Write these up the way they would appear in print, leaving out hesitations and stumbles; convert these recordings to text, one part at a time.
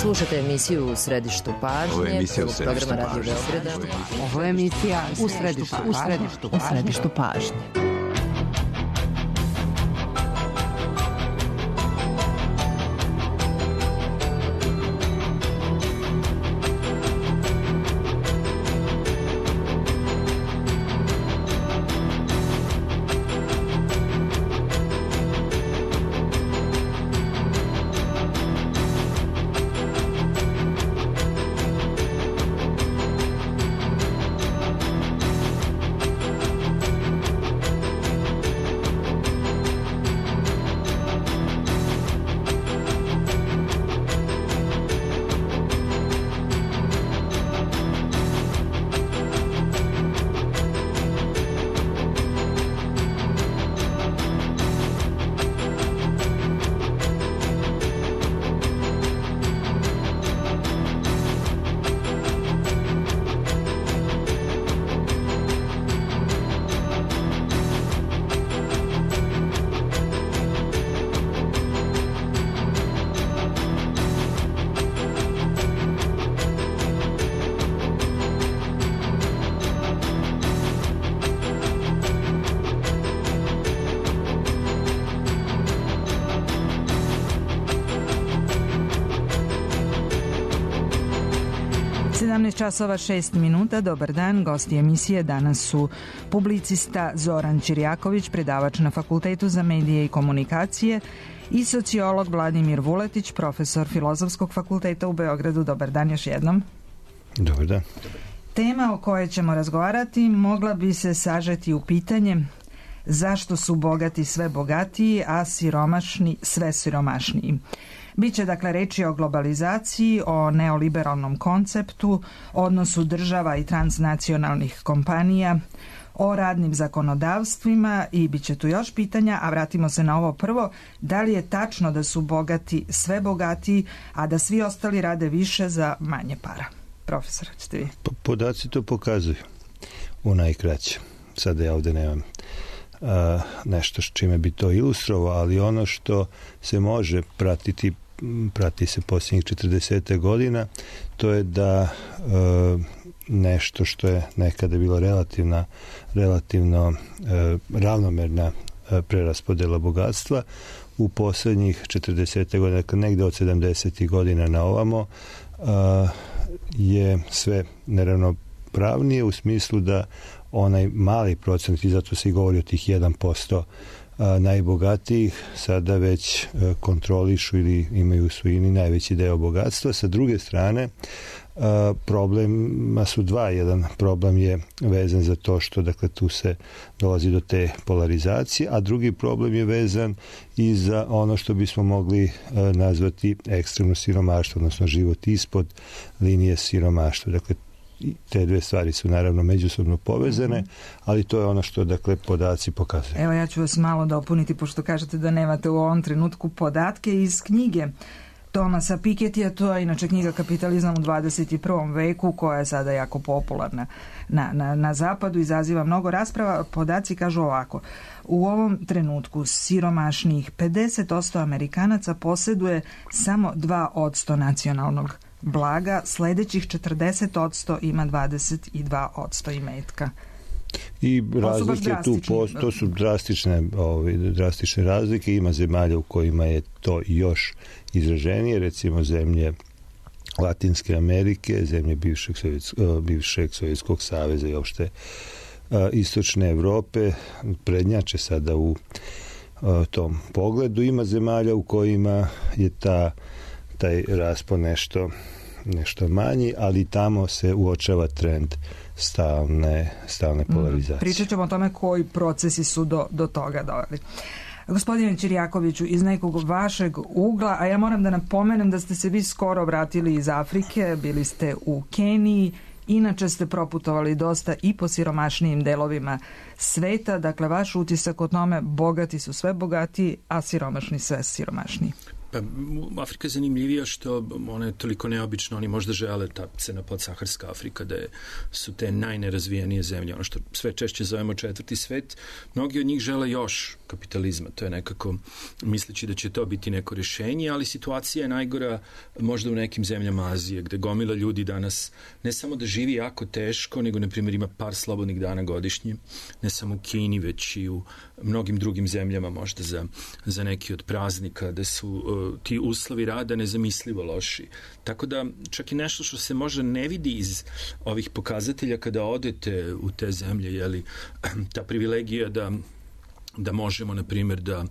Slušate emisiju U središtu pažnje. Ovo je emisija U središtu programa Radio Beograda. Ovo je emisija U središtu pažnje. Časova 6 minuta, dobar dan, gosti emisije danas su publicista Zoran Ćirjaković, predavač na Fakultetu za medije i komunikacije, i sociolog Vladimir Vuletić, profesor Filozofskog fakulteta u Beogradu. Dobar dan još jednom. Dobar dan. Tema o kojoj ćemo razgovarati mogla bi se sažeti u pitanje zašto su bogati sve bogatiji, a siromašni sve siromašniji. Biće dakle reči o globalizaciji, o neoliberalnom konceptu, odnosu država i transnacionalnih kompanija, o radnim zakonodavstvima i bit će tu još pitanja, a vratimo se na ovo prvo. Da li je tačno da su bogati sve bogatiji, a da svi ostali rade više za manje para? Profesor, ćete vi? Podaci to pokazuju u najkraće. Sada ja ovdje nemam nešto s čime bi to ilustrovao, ali ono što se može prati se posljednjih 40 godina, to je da nešto što je nekada bilo relativno ravnomerna preraspodjela bogatstva, u posljednjih 40 godina, dakle negdje od 70. godina na ovamo, je sve neravnopravnije u smislu da onaj mali procent, i zato se i govori o tih 1% najbogatijih, sada već kontrolišu ili imaju u svojini najveći deo bogatstva. Sa druge strane, problema su dva. Jedan problem je vezan za to što, dakle, tu se dolazi do te polarizacije, a drugi problem je vezan i za ono što bismo mogli nazvati ekstremno siromaštvo, odnosno život ispod linije siromaštva. Dakle, te dve stvari su naravno međusobno povezane, ali to je ono što, dakle, podaci pokazuju. Evo, ja ću vas malo dopuniti, pošto kažete da nemate u ovom trenutku podatke iz knjige Thomasa Pikettyja. To je inače knjiga Kapitalizam u 21. veku, koja je sada jako popularna na zapadu, izaziva mnogo rasprava. Podaci kažu ovako: u ovom trenutku siromašnijih 50% Amerikanaca posjeduje samo 2% nacionalnog blaga, sljedećih 40% ima 22% imetka. I razlike tu, to su drastične razlike. Ima zemalja u kojima je to još izraženije, recimo zemlje Latinske Amerike, zemlje bivšeg Sovjetskog saveza i uopšte istočne Europe prednjače sada u tom pogledu. Ima zemalja u kojima je taj raspon nešto manji, ali tamo se uočava trend stalne polarizacije. Pričat ćemo o tome koji procesi su do toga doveli. Gospodine Ćirjakoviću, iz nekog vašeg ugla, a ja moram da napomenem da ste se vi skoro vratili iz Afrike, bili ste u Keniji, inače ste proputovali dosta i po siromašnijim delovima sveta, dakle vaš utisak o tome, bogati su sve bogatiji, a siromašni sve siromašniji. Pa, Afrika je zanimljivija što ona je toliko neobična, oni možda žele ta cena podsaharska Afrika, da su te najnerazvijenije zemlje, ono što sve češće zovemo četvrti svet, mnogi od njih žele još kapitalizma, to je nekako misleći da će to biti neko rješenje, ali situacija je najgora možda u nekim zemljama Azije, gde gomila ljudi danas ne samo da živi jako teško, nego na primjer ima par slobodnih dana godišnje, ne samo u Kini, već i u mnogim drugim zemljama, možda za neki od praznika, da su ti uslovi rada nezamislivo loši. Tako da čak i nešto što se možda ne vidi iz ovih pokazatelja kada odete u te zemlje, jeli, ta privilegija da možemo, na primjer, da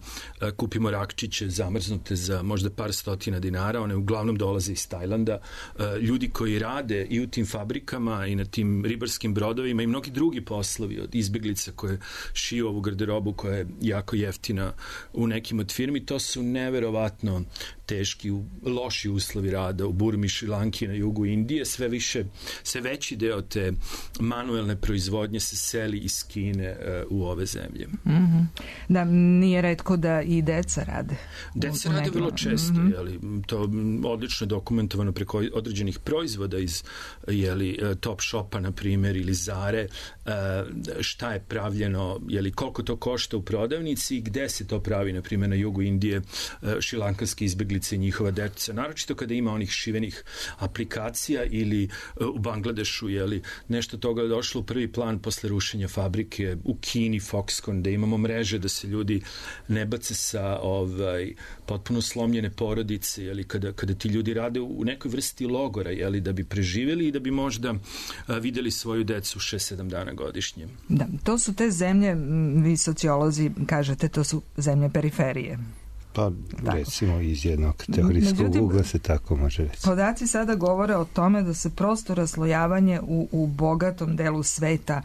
kupimo rakčiće zamrznute za možda par stotina dinara, one uglavnom dolaze iz Tajlanda. Ljudi koji rade i u tim fabrikama i na tim ribarskim brodovima i mnogi drugi poslovi, od izbjeglica koje šiju ovu garderobu koja je jako jeftina u nekim od firmi, to su neverovatno teški, loši uslovi rada u Burmi, Šrilanki, na jugu Indije. Sve veći deo te manuelne proizvodnje se seli iz Kine u ove zemlje. Mm-hmm. Da, nije retko da i deca rade. Deca rade vrlo često, jeli, to odlično je dokumentovano preko određenih proizvoda iz Top Shopa, na primjer, ili Zare, šta je pravljeno, jeli, koliko to košta u prodavnici i gde se to pravi, na primjer, na jugu Indije, šrilankanski izbjeglice i njihova deca, naročito kada ima onih šivenih aplikacija, ili u Bangladešu, jeli, nešto toga je došlo u prvi plan posle rušenja fabrike, u Kini, Foxconn, da imamo mreže da se ljudi ne bace sa potpuno slomljene porodice, jeli, kada ti ljudi rade u nekoj vrsti logora, jeli, da bi preživjeli i da bi možda videli svoju decu 6-7 dana godišnje. Da, to su te zemlje, vi sociolozi kažete, to su zemlje periferije. Pa recimo iz jednog teorijskog ugla se tako može reći. Podaci sada govore o tome da se prosto raslojavanje u bogatom delu sveta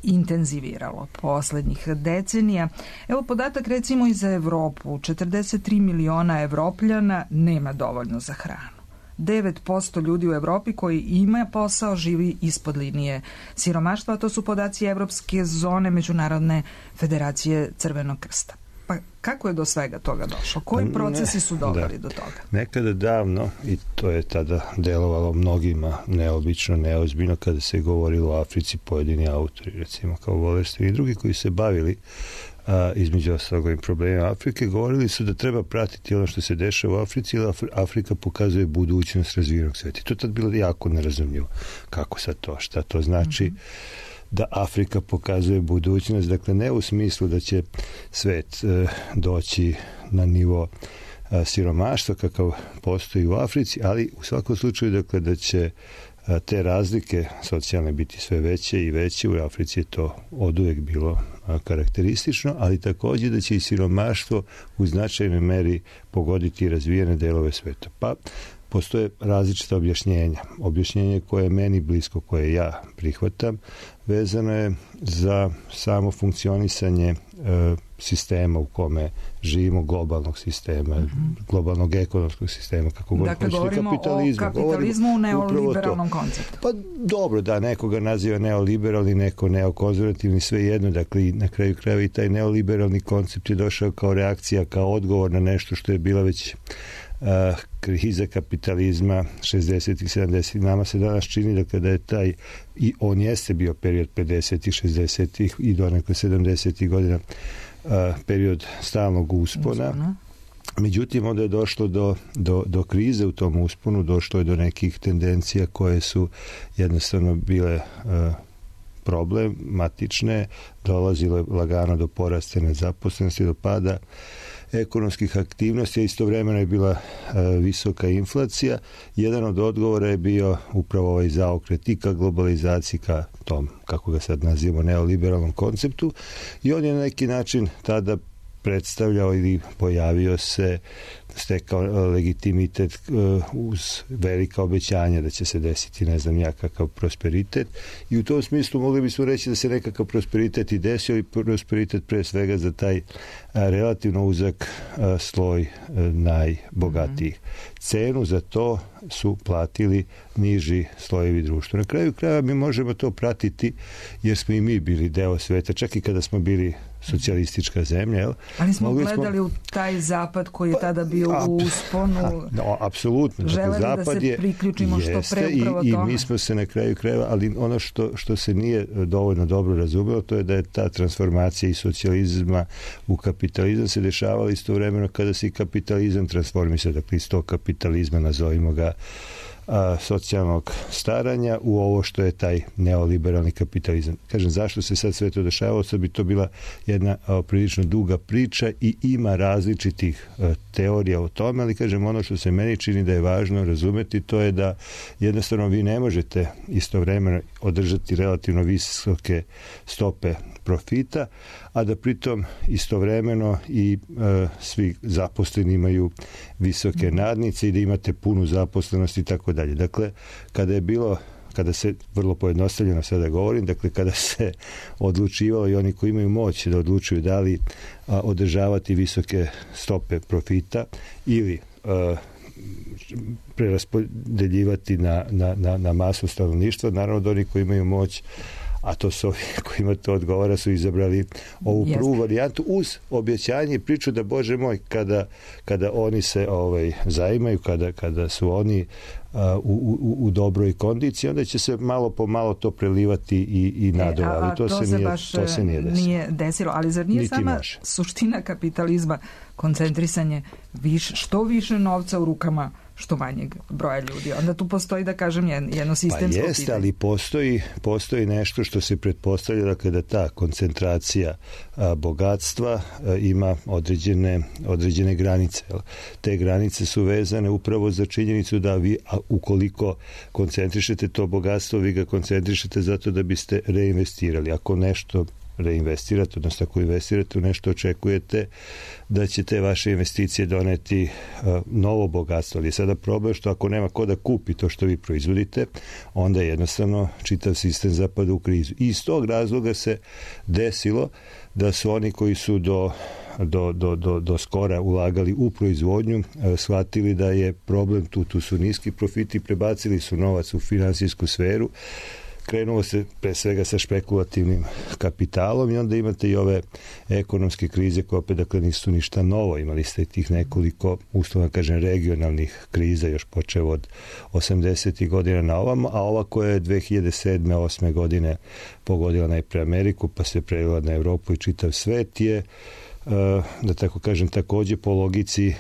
intenziviralo posljednjih decenija. Evo podatak recimo i za Evropu. 43 miliona Evropljana nema dovoljno za hranu. 9% ljudi u Evropi koji ima posao živi ispod linije siromaštva, a to su podaci Evropske zone Međunarodne federacije Crvenog krsta. Pa kako je do svega toga došlo? Koji procesi su doveli do toga? Nekada davno, i to je tada delovalo mnogima neobično, neozbiljno, kada se govorilo o Africi, pojedini autori, recimo kao Wallerstein i drugi koji se bavili između ostalog ovim problemima Afrike, govorili su da treba pratiti ono što se dešava u Africi, jer Afrika pokazuje budućnost razvijenog sveta. To je tad bilo jako nerazumljivo. Kako sad to? Šta to znači? Da Afrika pokazuje budućnost, dakle ne u smislu da će svet doći na nivo siromaštva kakav postoji u Africi, ali u svakom slučaju, dakle, da će te razlike socijalne biti sve veće i veće. U Africi je to oduvijek bilo karakteristično, ali također da će i siromaštvo u značajnoj meri pogoditi razvijene delove sveta. Pa postoje različita objašnjenja. Objašnjenje koje je meni blisko, koje ja prihvatam, vezano je za samo funkcionisanje sistema u kome živimo, globalnog sistema, globalnog ekonomskog sistema, kako dakle, govorimo o kapitalizmu u neoliberalnom konceptu. Pa dobro, da, nekoga naziva neoliberalni, neko neokonzervativni, sve jedno, dakle na kraju krajeva i taj neoliberalni koncept je došao kao reakcija, kao odgovor na nešto što je bila već kriza kapitalizma 60-ih, 70-ih. Nama se danas čini da kada je taj, i on jeste bio period 50-ih, 60-ih i donekle 70-ih godina, period stalnog uspona. Međutim, onda je došlo do krize u tom usponu, došlo je do nekih tendencija koje su jednostavno bile problematične, dolazilo je lagano do porasta nezaposlenosti, do pada ekonomskih aktivnosti, a istovremeno je bila visoka inflacija. Jedan od odgovora je bio upravo ovaj zaokret i ka globalizaciji, ka tom, kako ga sad nazivamo, neoliberalnom konceptu, i on je na neki način tada predstavljao ili pojavio se, stekao legitimitet uz velika obećanja da će se desiti ne znam ja kakav prosperitet, i u tom smislu mogli bismo reći da se nekakav prosperitet i desio, i prosperitet pre svega za taj relativno uzak sloj najbogatijih. Cenu za to su platili niži slojevi društva. Na kraju krajeva mi možemo to pratiti jer smo i mi bili deo sveta, čak i kada smo bili socijalistička zemlja. Jel? Ali smo gledali u taj zapad koji je tada bio u usponu. Apsolutno. Želeli da se priključimo što pre upravo tome. I mi smo se na kraju krajeva, ali ono što se nije dovoljno dobro razumelo, to je da je ta transformacija iz socijalizma u kapitalizam se dešavala istovremeno kada se i kapitalizam transformisao, dakle iz tog kapitalizma, nazovimo ga, socijalnog staranja u ovo što je taj neoliberalni kapitalizam. Kažem, zašto se sad sve to dešavalo? Sad bi to bila jedna prilično duga priča i ima različitih teorija o tome, ali kažem, ono što se meni čini da je važno razumeti, to je da jednostavno vi ne možete istovremeno održati relativno visoke stope profita, a da pritom istovremeno i svi zaposleni imaju visoke nadnice i da imate punu zaposlenost i tako dalje. Dakle, kada se, vrlo pojednostavljeno sada govorim, dakle kada se odlučivalo i oni koji imaju moć da odlučuju da li održavati visoke stope profita ili preraspodeljivati na masu stanovništva, naravno da oni koji imaju moć, a to su ovi kojima to odgovara, su izabrali ovu prvu varijantu uz objećanje i priču da, Bože moj, kada oni se zaimaju, kada su oni u dobroj kondiciji, onda će se malo po malo to prelivati i nadole, ali to se nije desilo. Ali zar nije sama suština kapitalizma koncentrisanje što više novca u rukama što manjeg broja ljudi? Onda tu postoji, da kažem, jedno sistemsko pitanje. Pa ali postoji nešto što se pretpostavlja, dakle, da ta koncentracija bogatstva ima određene granice. Te granice su vezane upravo za činjenicu da vi, ukoliko koncentrišete to bogatstvo, vi ga koncentrišete zato da biste reinvestirali. Ako nešto reinvestirate, odnosno ako investirate u nešto, očekujete da će te vaše investicije doneti novo bogatstvo. Ali je sada problem što ako nema ko da kupi to što vi proizvodite, onda jednostavno čitav sistem zapada u krizu. I iz tog razloga se desilo da su oni koji su do skora ulagali u proizvodnju, shvatili da je problem tu su niski profiti, prebacili su novac u finansijsku sferu, krenulo se pre svega sa špekulativnim kapitalom i onda imate i ove ekonomske krize koje opet, dakle, nisu ništa novo. Imali ste tih nekoliko, uslovno kažem, regionalnih kriza, još počeo od 80. godina na ovamo, a ova koja je 2007. 2008. godine pogodila najpre Ameriku, pa se prelila na Evropu i čitav svet je, da tako kažem, takođe po logici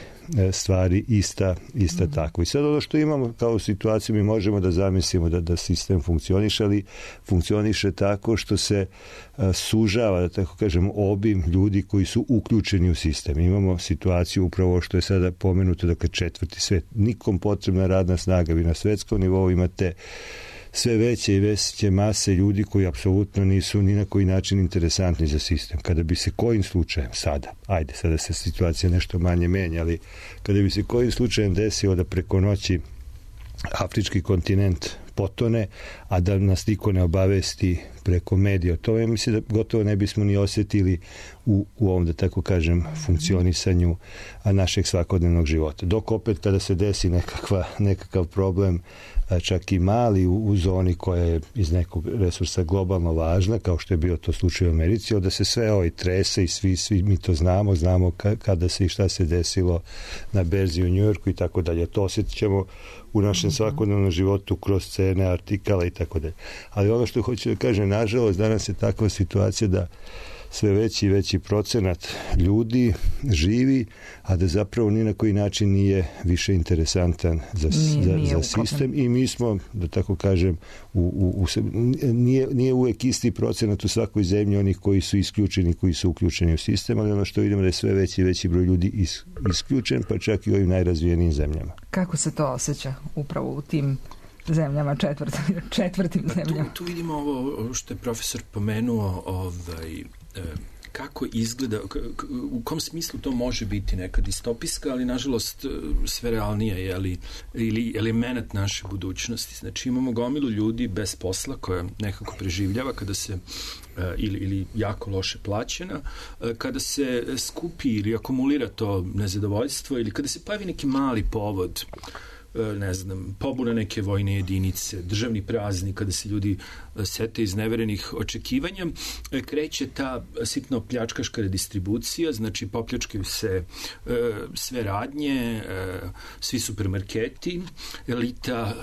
stvari ista tako. I sad ono što imamo kao situaciju, mi možemo da zamislimo da sistem funkcioniše, ali funkcioniše tako što se sužava, da tako kažem, obim ljudi koji su uključeni u sistem. Imamo situaciju upravo što je sada pomenuto, dakle, četvrti svet. Nikom potrebna radna snaga. Vi na svetskom nivou imate sve veće i veće mase ljudi koji apsolutno nisu ni na koji način interesantni za sistem. Kada bi se kojim slučajem sada se situacija nešto manje menja, ali kada bi se kojim slučajem desilo da preko noći afrički kontinent potone, a da nas niko ne obavesti preko medija. To je, mislim, da gotovo ne bismo ni osjetili u ovom, da tako kažem, funkcionisanju našeg svakodnevnog života. Dok opet kada se desi nekakav problem, čak i mali u zoni koja je iz nekog resursa globalno važna, kao što je bio to slučaj u Americi, onda se sve trese i svi mi to znamo kada se i šta se desilo na berzi u Njujorku i tako dalje. To osjetit ćemo u našem svakodnevnom životu kroz cene, artikala i tako dalje. Ali ono što hoću da kažem, nažalost, danas je takva situacija da sve veći i veći procenat ljudi živi, a da zapravo ni na koji način nije više interesantan za sistem i mi smo, da tako kažem, nije uvek isti procenat u svakoj zemlji onih koji su isključeni, koji su uključeni u sistem, ali ono što vidimo da je sve veći i veći broj ljudi isključen, pa čak i u ovim najrazvijenijim zemljama. Kako se to osjeća upravo u tim zemljama, četvrtim zemljama? Tu vidimo ovo što je profesor pomenuo, kako izgleda, u kom smislu to može biti neka distopijska, ali nažalost sve realnije ili element naše budućnosti. Znači imamo gomilu ljudi bez posla koja nekako preživljava kada se ili jako loše plaćena, kada se skupi ili akumulira to nezadovoljstvo ili kada se pojavi neki mali povod ne znam, pobuna neke vojne jedinice, državni praznik, kada se ljudi sete iz neverenih očekivanja, kreće ta sitno pljačkaška redistribucija, znači popljačkaju se sve radnje, svi supermarketi, elita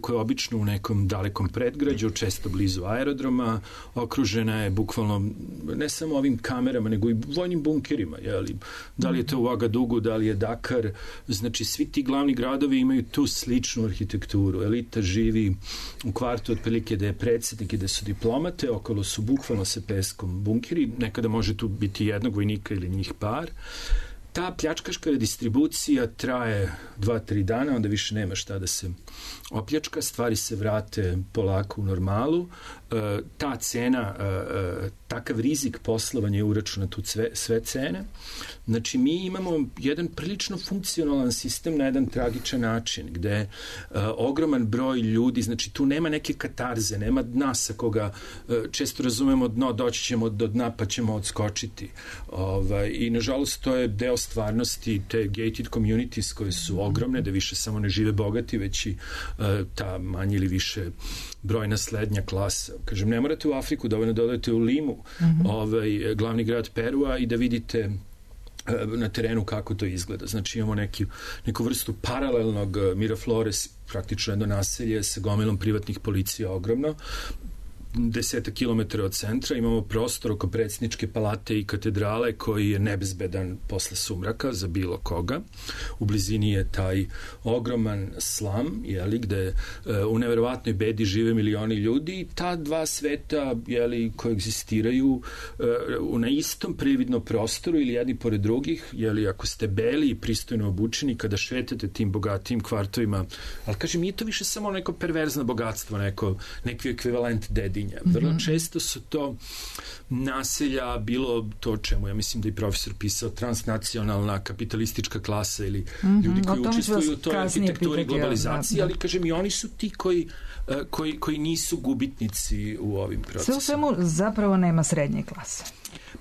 koja je obično u nekom dalekom predgrađu, često blizu aerodroma, okružena je bukvalno ne samo ovim kamerama, nego i vojnim bunkerima, jeli? Da li je to u Agadugu, da li je Dakar, znači svi ti glavni gradovi imaju tu sličnu arhitekturu. Elita živi u kvartu otprilike da je predsjednik i da su diplomate, okolo su bukvalno sa peskom bunkeri, nekada može tu biti jednog vojnika ili njih par. Ta pljačkaška redistribucija traje 2-3 dana, onda više nema šta da se opljačka, stvari se vrate polako u normalu. Ta cena, takav rizik poslovanja je uračunat u sve cene. Znači, mi imamo jedan prilično funkcionalan sistem na jedan tragičan način, gde ogroman broj ljudi, znači tu nema neke katarze, nema dna sa koga često razumemo dno, doći ćemo do dna pa ćemo odskočiti. I nažalost to je deo stvarnosti te gated communities koje su ogromne, da više samo ne žive bogati, već i ta manje ili više brojna slednja klasa. Kažem, ne morate u Afriku, dovoljno da odete u Limu, glavni grad Perua, i da vidite na terenu kako to izgleda. Znači imamo neku vrstu paralelnog Miraflores, praktično jedno naselje sa gomilom privatnih policija ogromno, 10 kilometara od centra, imamo prostor oko predsjedničke palate i katedrale koji je nebezbedan posle sumraka za bilo koga. U blizini je taj ogroman slam, gde u neverovatnoj bedi žive milioni ljudi, i ta dva sveta koegzistiraju na istom prividnom prostoru ili jedni pored drugih, ako ste beli i pristojno obučeni, kada šetate tim bogatijim kvartovima, ali kažem, nije to više samo neko perverzno bogatstvo, neki ekvivalent dedi. Vrlo često su to naselja, bilo to čemu ja mislim da i profesor pisao, transnacionalna kapitalistička klasa ili ljudi koji učestvuju u toj arhitekturi globalizacije, ali kažem i oni su ti koji nisu gubitnici u ovim procesima. Sve u svemu zapravo nema srednje klase.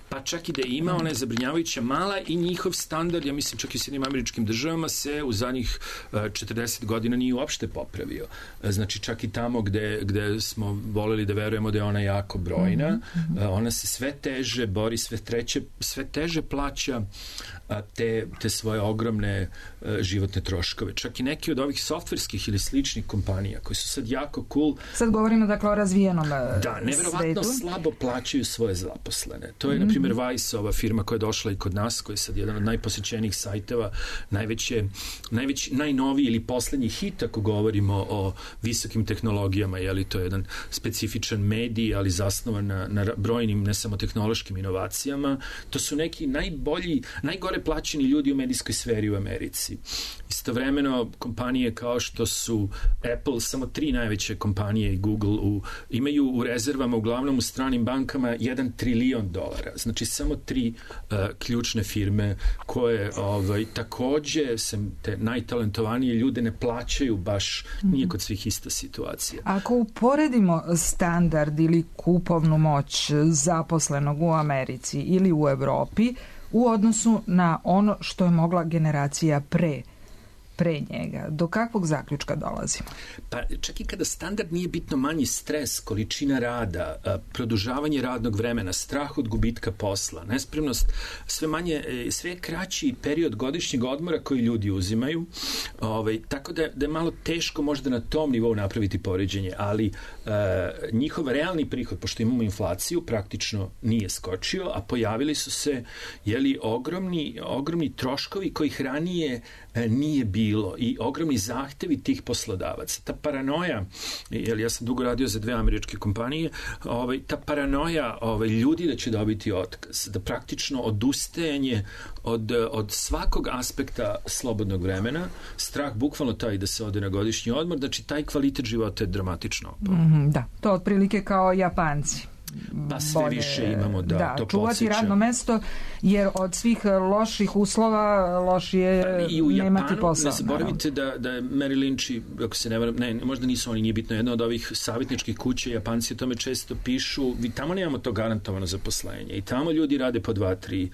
Pa čak i da ima, ona je zabrinjavajuća mala i njihov standard, ja mislim čak i u Sjedinjenim Američkim Državama, se u zadnjih 40 godina nije uopšte popravio. Znači čak i tamo gde smo voleli da verujemo da je ona jako brojna, ona se sve teže bori, sve teže plaća te svoje ogromne životne troškove. Čak i neki od ovih softverskih ili sličnih kompanija koji su sad jako cool. Sad govorimo dakle o razvijenom svetu. Da, neverovatno slabo plaćaju svoje zaposlene. To je, na primjer, Vice, ova firma koja je došla i kod nas, koja je sad jedan od najposećenijih sajteva, najnoviji ili poslednji hit, ako govorimo o visokim tehnologijama, to je jedan specifičan medij, ali zasnovan na brojnim, ne samo tehnološkim inovacijama. To su neki najgore plaćeni ljudi u medijskoj sferi u Americi. Istovremeno, kompanije kao što su Apple, samo 3 najveće kompanije i Google imaju u rezervama, uglavnom u stranim bankama, $1 trilion. Znači, samo 3 ključne firme koje takođe te najtalentovanije ljude ne plaćaju baš, nije kod svih ista situacija. Ako uporedimo standard ili kupovnu moć zaposlenog u Americi ili u Evropi u odnosu na ono što je mogla generacija pre njega, do kakvog zaključka dolazimo? Pa čak i kada standard nije bitno manji stres, količina rada, produžavanje radnog vremena, strah od gubitka posla, nespremnost, sve kraći period godišnjeg odmora koji ljudi uzimaju, tako da je malo teško možda na tom nivou napraviti poređenje, ali njihov realni prihod, pošto imamo inflaciju, praktično nije skočio, a pojavili su se ogromni troškovi kojih ranije nije bilo i ogromni zahtevi tih poslodavaca. Ta paranoja, ja sam dugo radio za 2 američke kompanije, ta paranoja ljudi da će dobiti otkaz, da praktično odustajanje od svakog aspekta slobodnog vremena, strah bukvalno taj da se ode na godišnji odmor, znači taj kvalitet života je dramatično opao. Da, to otprilike kao Japanci. Pa sve bolje, više imamo da to čuvati podsjeća. radno mesto, jer od svih loših uslova lošije nemati posao. Ne zaboravite da je Merrill Lynch, ako se ne varam, možda nisu oni, nije bitno, jedna od ovih savjetničkih kuća, Japanci o tome često pišu, tamo nemamo to garantovano zaposlenje i tamo ljudi rade po 2-3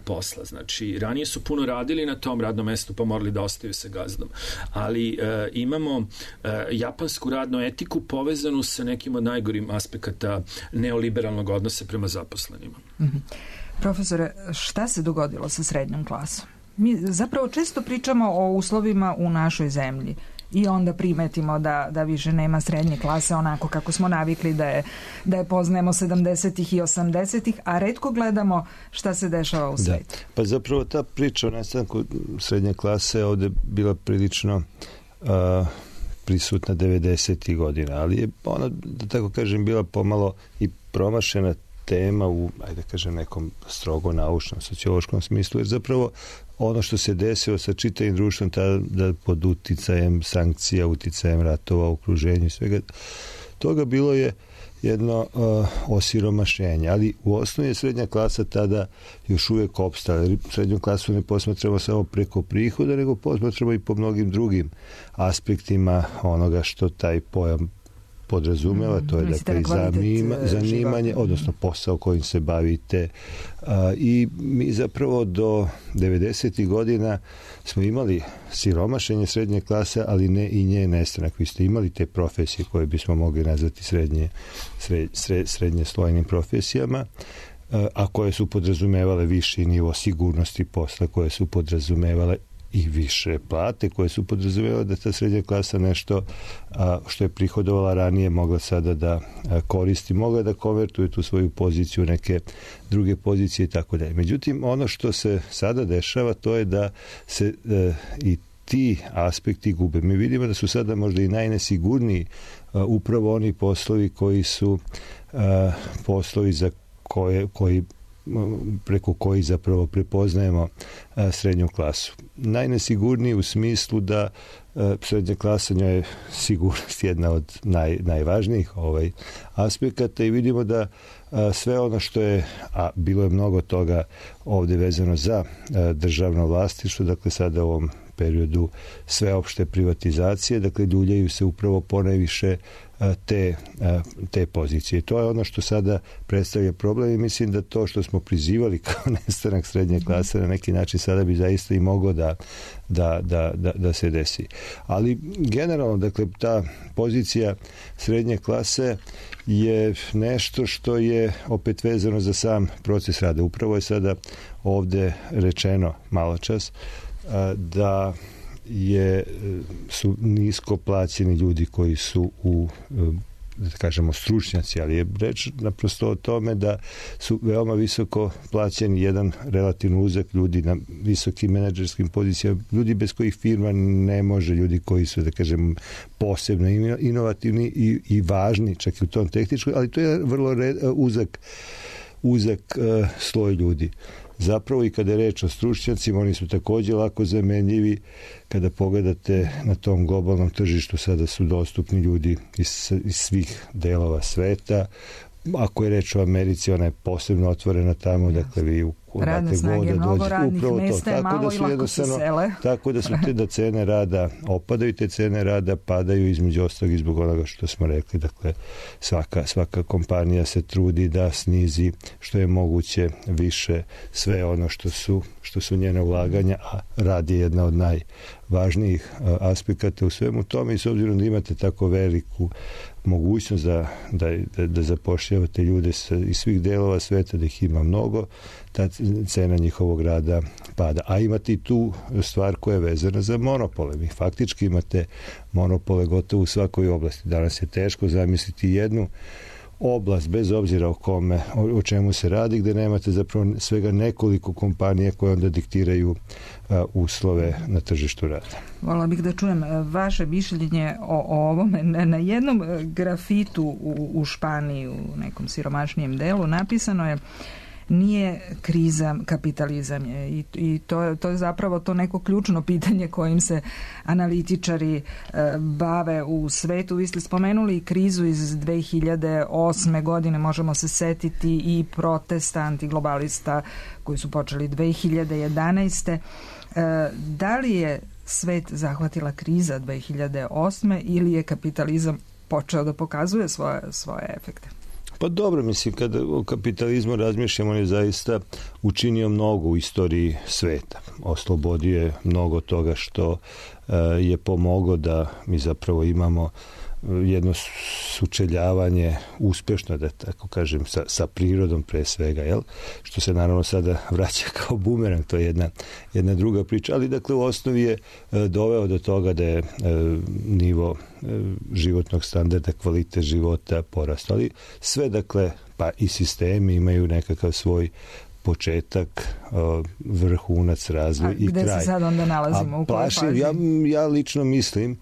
posla. Znači, ranije su puno radili na tom radnom mestu pa morali da ostaju sa gazdom. Ali imamo japansku radnu etiku povezanu sa nekim od najgorim aspekata neoliberalnog odnosa prema zaposlenima. Profesore, šta se dogodilo sa srednjom klasom? Mi zapravo često pričamo o uslovima u našoj zemlji i onda primetimo da više nema srednje klase onako kako smo navikli da je poznajemo 70-ih i 80-ih, a retko gledamo šta se dešava u svijetu. Pa zapravo ta priča o nastanku srednje klase ovdje bila prilično prisutna 90. godina, ali je ona, da tako kažem, bila pomalo i promašena tema u, ajde kažem, nekom strogo naučnom, sociološkom smislu, jer zapravo ono što se desilo sa čitavim društvom da pod uticajem sankcija, uticajem ratova, okruženju i svega toga bilo je jedno osiromašenje, ali u osnovi je srednja klasa tada još uvijek opstala. Srednju klasu ne posmatramo samo preko prihoda, nego posmatramo i po mnogim drugim aspektima onoga što taj pojam podrazumeva, to je dakle zanimanje, odnosno posao kojim se bavite. I mi zapravo do 90. godina smo imali siromašenje srednje klase, ali ne i nje nestanak. Vi ste imali te profesije koje bismo mogli nazvati srednje slojnim profesijama, a koje su podrazumevale viši nivo sigurnosti posla, koje su podrazumevale i više plate, koje su podrazumevale da ta srednja klasa nešto što je prihodovala ranije mogla sada da koristi, mogla da konvertuje tu svoju poziciju u neke druge pozicije i tako dalje. Međutim, ono što se sada dešava, to je da se i ti aspekti gube. Mi vidimo da su sada možda i najnesigurniji upravo oni poslovi koji su poslovi za preko koji zapravo prepoznajemo srednju klasu. Najnesigurniji u smislu da srednja klasa, njoj je sigurnost jedna od najvažnijih aspekata i vidimo da sve ono što je, a bilo je mnogo toga ovdje vezano za državno vlasništvo, dakle sada u ovom periodu sveopšte privatizacije, dakle ljuljaju se upravo ponajviše te pozicije. To je ono što sada predstavlja problem i mislim da to što smo prizivali kao nestanak srednje klase na neki način sada bi zaista i moglo da se desi. Ali generalno, dakle, ta pozicija srednje klase je nešto što je opet vezano za sam proces rada. Upravo je sada ovdje rečeno maločas da su nisko plaćeni ljudi koji su da kažemo stručnjaci, ali je reč naprosto o tome da su veoma visoko plaćeni jedan relativno uzak ljudi na visokim menadžerskim pozicijama, ljudi bez kojih firma ne može, ljudi koji su, da kažem, posebno inovativni i važni, čak i u tom tehničkom, ali to je vrlo uzak sloj ljudi. Zapravo i kada je reč o stručnjacima, oni su također lako zamenljivi. Kada pogledate na tom globalnom tržištu, sada su dostupni ljudi iz svih delova sveta. Ako je reč o Americi, ona je posebno otvorena tamo, dakle vi radne snage, mnogo radnih mesta je malo i lako se sele. Tako da su da cene rada opadaju, te cene rada padaju između ostalog i zbog onoga što smo rekli. Dakle, svaka kompanija se trudi da snizi što je moguće više sve ono što su njene ulaganja, a rad je jedna od najvažnijih aspekata u svemu tome i s obzirom da imate tako veliku mogućnost da zapošljavate ljude iz svih delova sveta, da ih ima mnogo, ta cena njihovog rada pada. A imate i tu stvar koja je vezana za monopole. Vi faktički imate monopole gotovo u svakoj oblasti. Danas je teško zamisliti jednu oblast, bez obzira o čemu se radi, gdje nemate zapravo svega nekoliko kompanija koje onda diktiraju uslove na tržištu rada. Voljela bih da čujem vaše mišljenje o ovome. Na jednom grafitu u Španiji, u nekom siromašnijem delu, napisano je: nije kriza kapitalizam je i to je zapravo to neko ključno pitanje kojim se analitičari bave u svetu. Vi ste spomenuli krizu iz 2008. godine, možemo se setiti i protesta antiglobalista koji su počeli 2011. Da li je svet zahvatila kriza 2008. ili je kapitalizam počeo da pokazuje svoje efekte? Pa dobro, mislim, kada o kapitalizmu razmišljamo, on je zaista učinio mnogo u istoriji sveta. Oslobodio je mnogo toga što je pomoglo da mi zapravo imamo jedno sučeljavanje uspešno, da tako kažem, sa prirodom pre svega, jel? Što se naravno sada vraća kao bumerang, to je jedna druga priča, ali dakle u osnovi je doveo do toga da je nivo životnog standarda, kvalitet života porastao, ali sve dakle, pa i sistemi imaju nekakav svoj početak, vrhunac, razvoj i kraj. A gde se sad onda nalazimo? U kojoj fazi? Ja lično mislim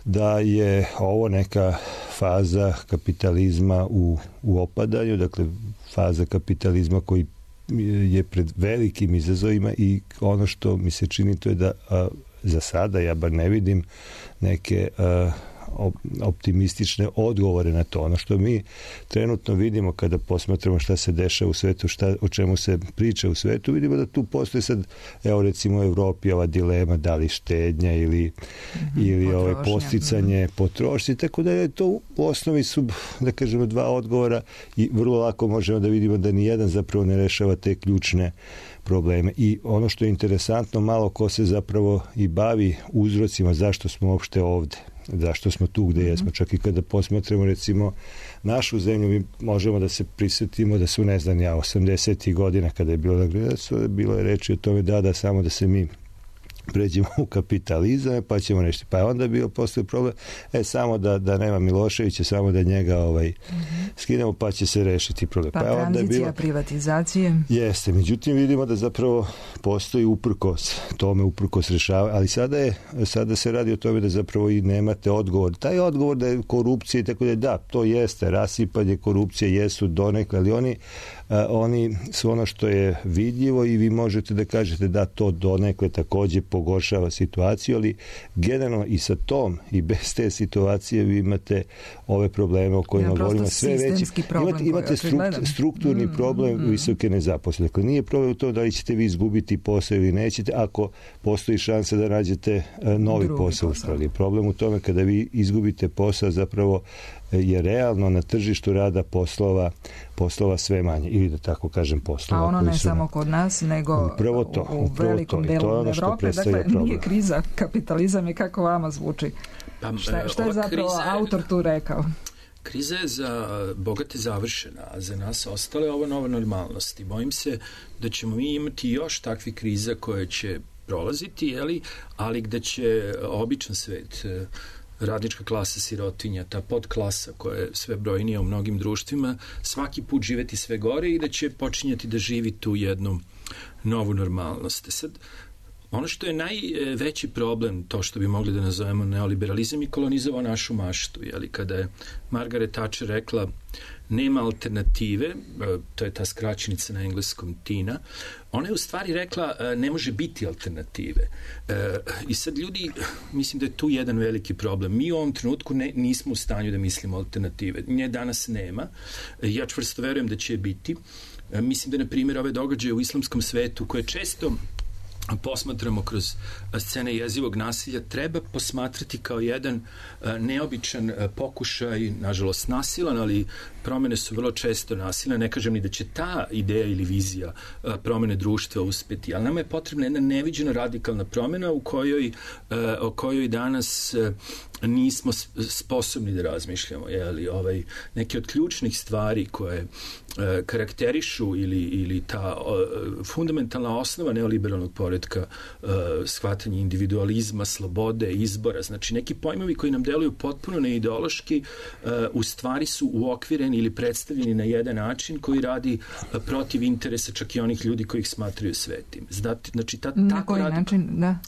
da je ovo neka faza kapitalizma u opadanju, dakle faza kapitalizma koji je pred velikim izazovima i ono što mi se čini to je da za sada ja bar ne vidim neke optimistične odgovore na to. Ono što mi trenutno vidimo kada posmatramo šta se dešava u svetu, o čemu se priča u svetu, vidimo da tu postoji sad, evo recimo u Evropi ova dilema da li štednja ili posticanje potrošnje, tako da je to u osnovi su, da kažemo, dva odgovora i vrlo lako možemo da vidimo da nijedan zapravo ne rešava te ključne probleme. I ono što je interesantno, malo ko se zapravo i bavi uzrocima zašto smo uopšte ovde, zašto smo tu gde jesmo. Čak i kada posmatramo recimo našu zemlju, mi možemo da se prisjetimo da su, ne znam ja, 80. godina kada je bilo je reči o tome da samo da se mi pređemo u kapitalizam, pa ćemo nešto. Pa je onda postoji problem, samo da nema Miloševića, samo da njega skinemo, pa će se rešiti problem. Pa tranzicija privatizacije. Jeste, međutim vidimo da zapravo postoji uprkos rešava, ali sada se radi o tome da zapravo i nemate odgovor. Taj odgovor da je korupcija i tako da, to jeste, rasipanje, korupcije jesu donekle, ali oni su ono što je vidljivo i vi možete da kažete da to donekle takođe pogoršava situaciju, ali generalno i sa tom i bez te situacije vi imate ove probleme o kojima govorimo sve veći. Imate strukturni problem visoke nezaposlenosti. Dakle, nije problem u tom da li ćete vi izgubiti posao ili nećete, ako postoji šansa da nađete novi posao. Problem u tome kada vi izgubite posao zapravo je realno na tržištu rada poslova sve manje, ili da tako kažem poslova. A ono ne samo kod nas, nego u velikom delu Evrope. Dakle, nije kriza, kapitalizam je, kako vama zvuči. Šta je zapravo autor tu rekao? Kriza je za bogate završena, a za nas ostale ovo nova normalnost. I bojim se da ćemo mi imati još takvih kriza koje će prolaziti, ali gde će običan svet, radnička klasa, sirotinja, ta podklasa koja je sve brojnija u mnogim društvima, svaki put živeti sve gore i da će počinjati da živi tu jednu novu normalnost. Sad, ono što je najveći problem, to što bi mogli da nazovemo neoliberalizam, je kolonizovao našu maštu. Kada je Margaret Thatcher rekla nema alternative, to je ta skraćenica na engleskom TINA, ona je u stvari rekla ne može biti alternative. I sad ljudi, mislim da je tu jedan veliki problem. Mi u ovom trenutku nismo u stanju da mislimo alternative. Nje danas nema. Ja čvrsto verujem da će je biti. Mislim da, na primjer, ove događaje u islamskom svetu koje često posmatramo kroz scene jezivog nasilja, treba posmatrati kao jedan neobičan pokušaj, nažalost nasilan, ali promene su vrlo često nasilne. Ne kažem ni da će ta ideja ili vizija promene društva uspeti, ali nama je potrebna jedna neviđena radikalna promena o kojoj danas nismo sposobni da razmišljamo. Neke od ključnih stvari koje karakterišu ili ta fundamentalna osnova neoliberalnog poretka, shvatanje individualizma, slobode, izbora, znači neki pojmovi koji nam deluju potpuno neideološki, u stvari su uokvireni ili predstavljeni na jedan način koji radi protiv interesa čak i onih ljudi koji ih smatraju svetim. Znači, na koji način, da?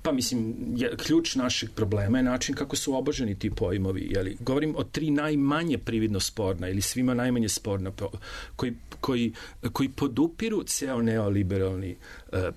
Pa mislim, ključ našeg problema je način kako su oboženi ti pojmovi. Jeli? Govorim o 3 najmanje prividno sporna ili svima najmanje sporna koji podupiru ceo neoliberalni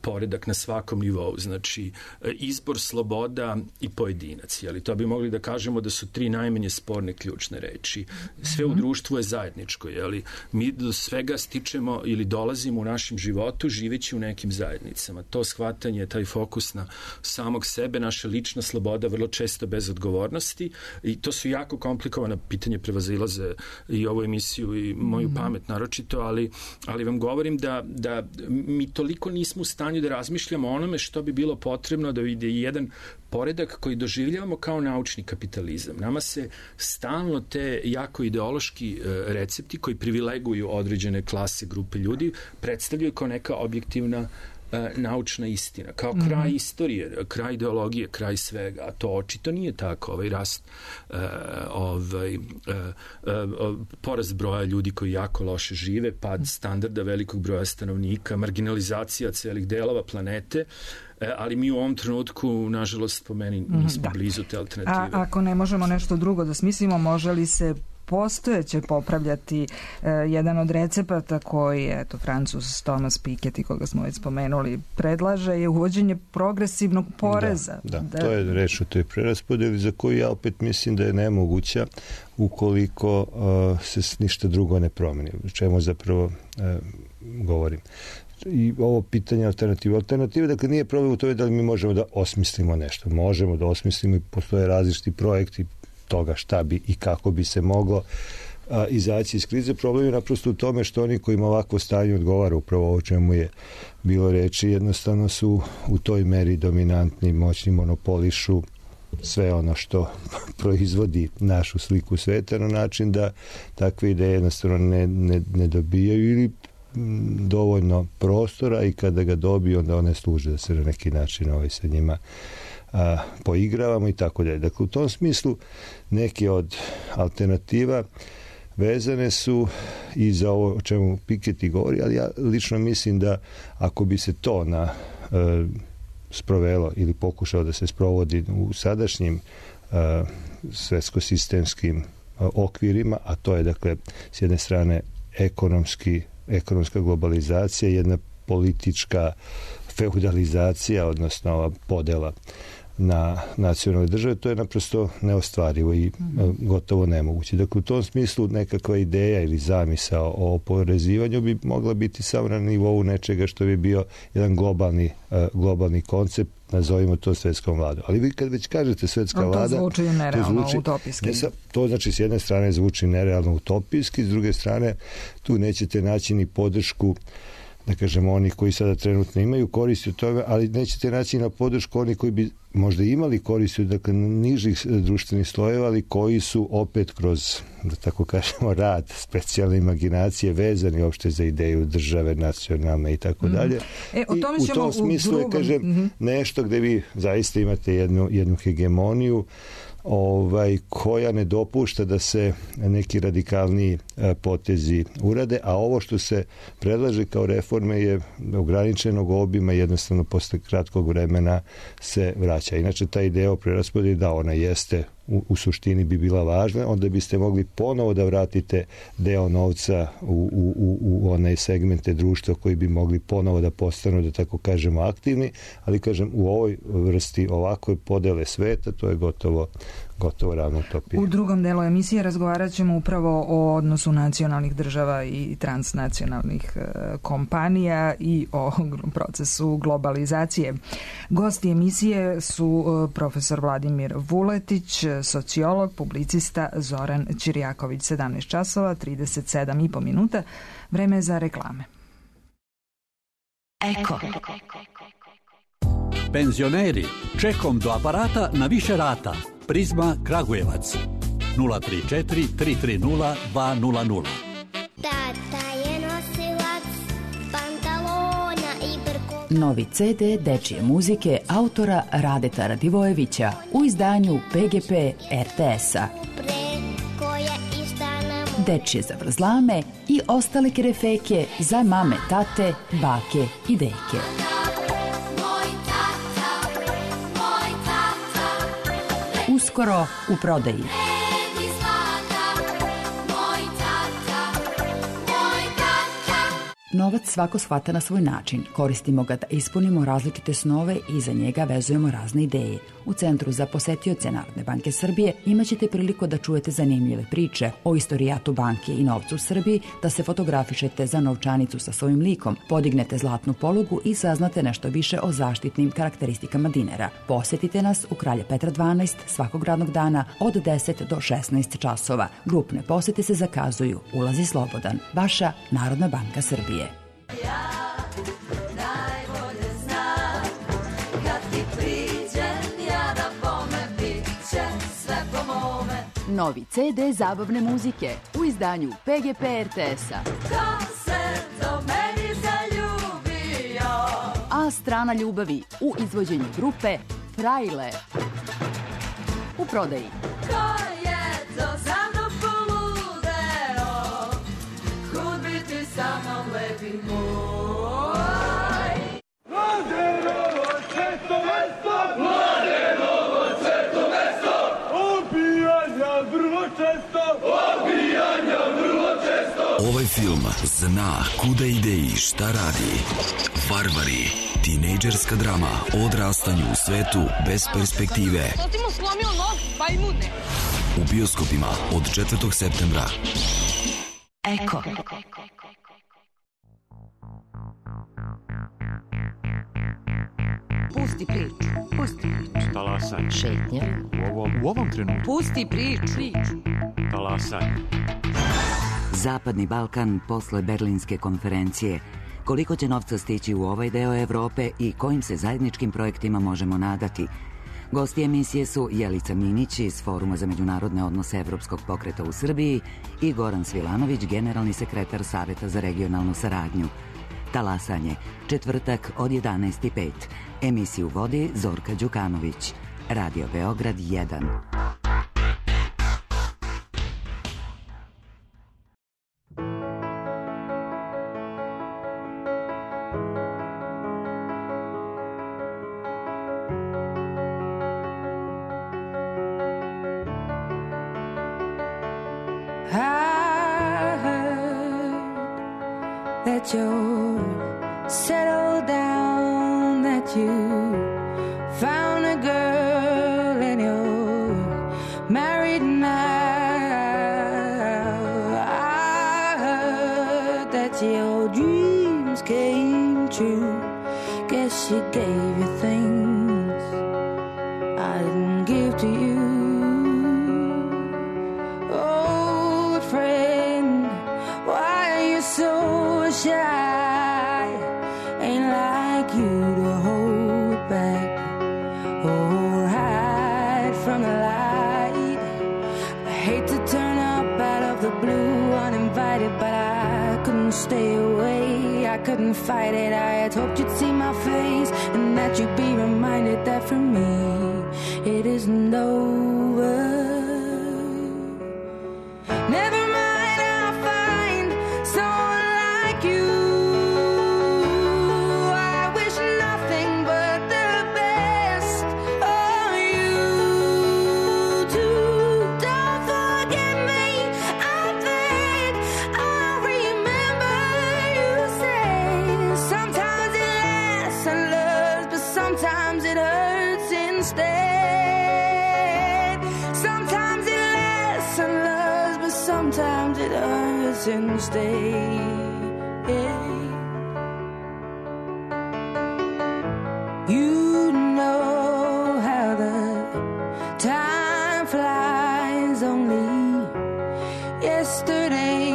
poredak na svakom nivou. Znači, izbor, sloboda i pojedinac. Jeli? To bi mogli da kažemo da su 3 najmanje sporne ključne reči. Sve u društvu je zajedničko. Jeli? Mi do svega stičemo ili dolazimo u našem životu živeći u nekim zajednicama. To shvatanje, taj fokus na samog sebe, naša lična sloboda, vrlo često bez odgovornosti, i to su jako komplikovana pitanja, prevazilaze i ovu emisiju i moju pamet naročito, ali vam govorim da mi toliko nismo u stanju da razmišljamo o onome što bi bilo potrebno da vide jedan poredak koji doživljavamo kao naučni kapitalizam. Nama se stalno te jako ideološki recepti koji privileguju određene klase, grupe ljudi predstavljaju kao neka objektivna naučna istina, kao kraj istorije, kraj ideologije, kraj svega, a to očito nije tako. Ovaj rast, porast broja ljudi koji jako loše žive, pad standarda velikog broja stanovnika, marginalizacija celih delova planete, ali mi u ovom trenutku, nažalost, po meni nismo blizu te alternative. A ako ne možemo nešto drugo da smislimo, može li se postojeće popravljati? Jedan od recepata koji, Francuz Thomas Piketty, koga smo već spomenuli, predlaže je uvođenje progresivnog poreza. Da, to je reč o toj preraspodeli za koju ja opet mislim da je nemoguća ukoliko se ništa drugo ne promeni. Čemu zapravo govorim? I ovo pitanje alternative, dakle nije problem u tome da li mi možemo da osmislimo nešto. Možemo da osmislimo i postoje različiti projekti toga šta bi i kako bi se moglo izaći iz krize. Problem je naprosto u tome što oni kojima ovakvo stanje odgovara, upravo o čemu je bilo reči, jednostavno su u toj meri dominantni, moćni, monopolišu sve ono što proizvodi našu sliku sveta na način da takve ideje jednostavno ne dobijaju ili dovoljno prostora, i kada ga dobiju onda one služe da se na neki način sa njima poigravamo i tako dalje. Dakle, u tom smislu neke od alternativa vezane su i za ovo o čemu Piketty govori, ali ja lično mislim da ako bi se to sprovelo ili pokušao da se sprovodi u sadašnjim svetsko-sistemskim okvirima, a to je, dakle, s jedne strane ekonomska globalizacija, jedna politička feudalizacija, odnosno ova podela na nacionalne države, to je naprosto neostvarivo i gotovo nemoguće. Dakle, u tom smislu nekakva ideja ili zamisao o oporezivanju bi mogla biti samo na nivou nečega što bi bio jedan globalni koncept, nazovimo to svetskom vladom. Ali vi kad već kažete svetska vlada... To zvuči nerealno, utopijski. To znači s jedne strane zvuči nerealno utopijski, s druge strane tu nećete naći ni podršku, da kažemo, oni koji sada trenutno imaju koristi od toga, ali nećete naći na podršku oni koji bi možda imali koristi, dakle, nižih društvenih slojeva, ali koji su opet kroz, da tako kažemo, rad, specijalne imaginacije vezani uopšte za ideju države, nacionalne i tako dalje. I u tom smislu je, kažem, nešto gde vi zaista imate jednu hegemoniju koja ne dopušta da se neki radikalni potezi urade, a ovo što se predlaže kao reforme je ograničenog obima, jednostavno posle kratkog vremena se vraća. Inače, ta ideja o preraspodeli, da, ona jeste u suštini bi bila važna, onda biste mogli ponovo da vratite deo novca u one segmente društva koji bi mogli ponovo da postanu, da tako kažemo, aktivni, ali, kažem, u ovoj vrsti ovakve podele sveta, to je gotovo ravno utopija. U drugom delu emisije razgovarat ćemo upravo o odnosu nacionalnih država i transnacionalnih kompanija i o procesu globalizacije. Gosti emisije su profesor Vladimir Vuletić, sociolog, publicista Zoran Ćirjaković. 17 časova, 37,5 minuta. Vreme je za reklame. Eko. Penzioneri, čekom do aparata na više rata. Prizma Kragujevac 034 330 200. Tata je nosilac pantalona i brkova. Novi CD dečije muzike autora Radeta Radivojevića u izdanju PGP RTS-a. Dečije zavrzlame i ostale kerefeke za mame, tate, bake i deke. Uskoro u prodaji. Novac svako shvata na svoj način. Koristimo ga da ispunimo različite snove i za njega vezujemo razne ideje. U Centru za posetioce Narodne banke Srbije imaćete priliku da čujete zanimljive priče o istorijatu banke i novcu u Srbiji, da se fotografišete za novčanicu sa svojim likom, podignete zlatnu polugu i saznate nešto više o zaštitnim karakteristikama dinara. Posetite nas u Kralja Petra 12 svakog radnog dana od 10 do 16 časova. Grupne posete se zakazuju. Ulaz je slobodan. Vaša Narodna banka Srbije. Novi CD zabavne muzike u izdanju PGP RTS-a. Ko se do meni zaljubio? A strana ljubavi u izvođenju grupe Frajle. U prodaji. Ko je to za mnom poludeo? Kud biti sa mnom lepi moj? Mladenovo sveto mesto! Mladenovo sveto mesto! Obijanja vrlo često! Obijanja vrlo često! Ovaj film zna kuda ide i šta radi. Varvari. Tinejdžerska drama o odrastanju u svetu bez perspektive. To ti mu slomio nos, pa i mudne. U bioskopima od 4. septembra. Eko. Pusti priču. Pusti priču. Talasanje. Šetnja. U ovom trenutku. Pusti priču. Talasanje. Zapadni Balkan posle Berlinske konferencije. Koliko će novca stići u ovaj deo Evrope i kojim se zajedničkim projektima možemo nadati? Gosti emisije su Jelica Minić iz Foruma za međunarodne odnose Evropskog pokreta u Srbiji i Goran Svilanović, generalni sekretar Saveta za regionalnu saradnju. Talasanje, četvrtak od 11:05. Emisiju vodi Zorka Đukanović. Radio Beograd 1. That you settled down, that you found a girl and you're married now. I heard that your dreams came true. Guess she gave you things I didn't give to you. Old friend, why are you so shy? Ain't like you to hold back or hide from the light. I hate to turn up out of the blue uninvited, but I couldn't stay away. I couldn't fight it. I had hoped you'd see my face and that you'd be reminded that for me it isn't over. Never mind, I'll find someone like you. I wish nothing but the best of you too. Don't forget me, I think I remember you say sometimes it lasts and loves, but sometimes it hurts instead. Sometimes it lasts and loves, but sometimes it hurts instead. You know how the time flies. Only yesterday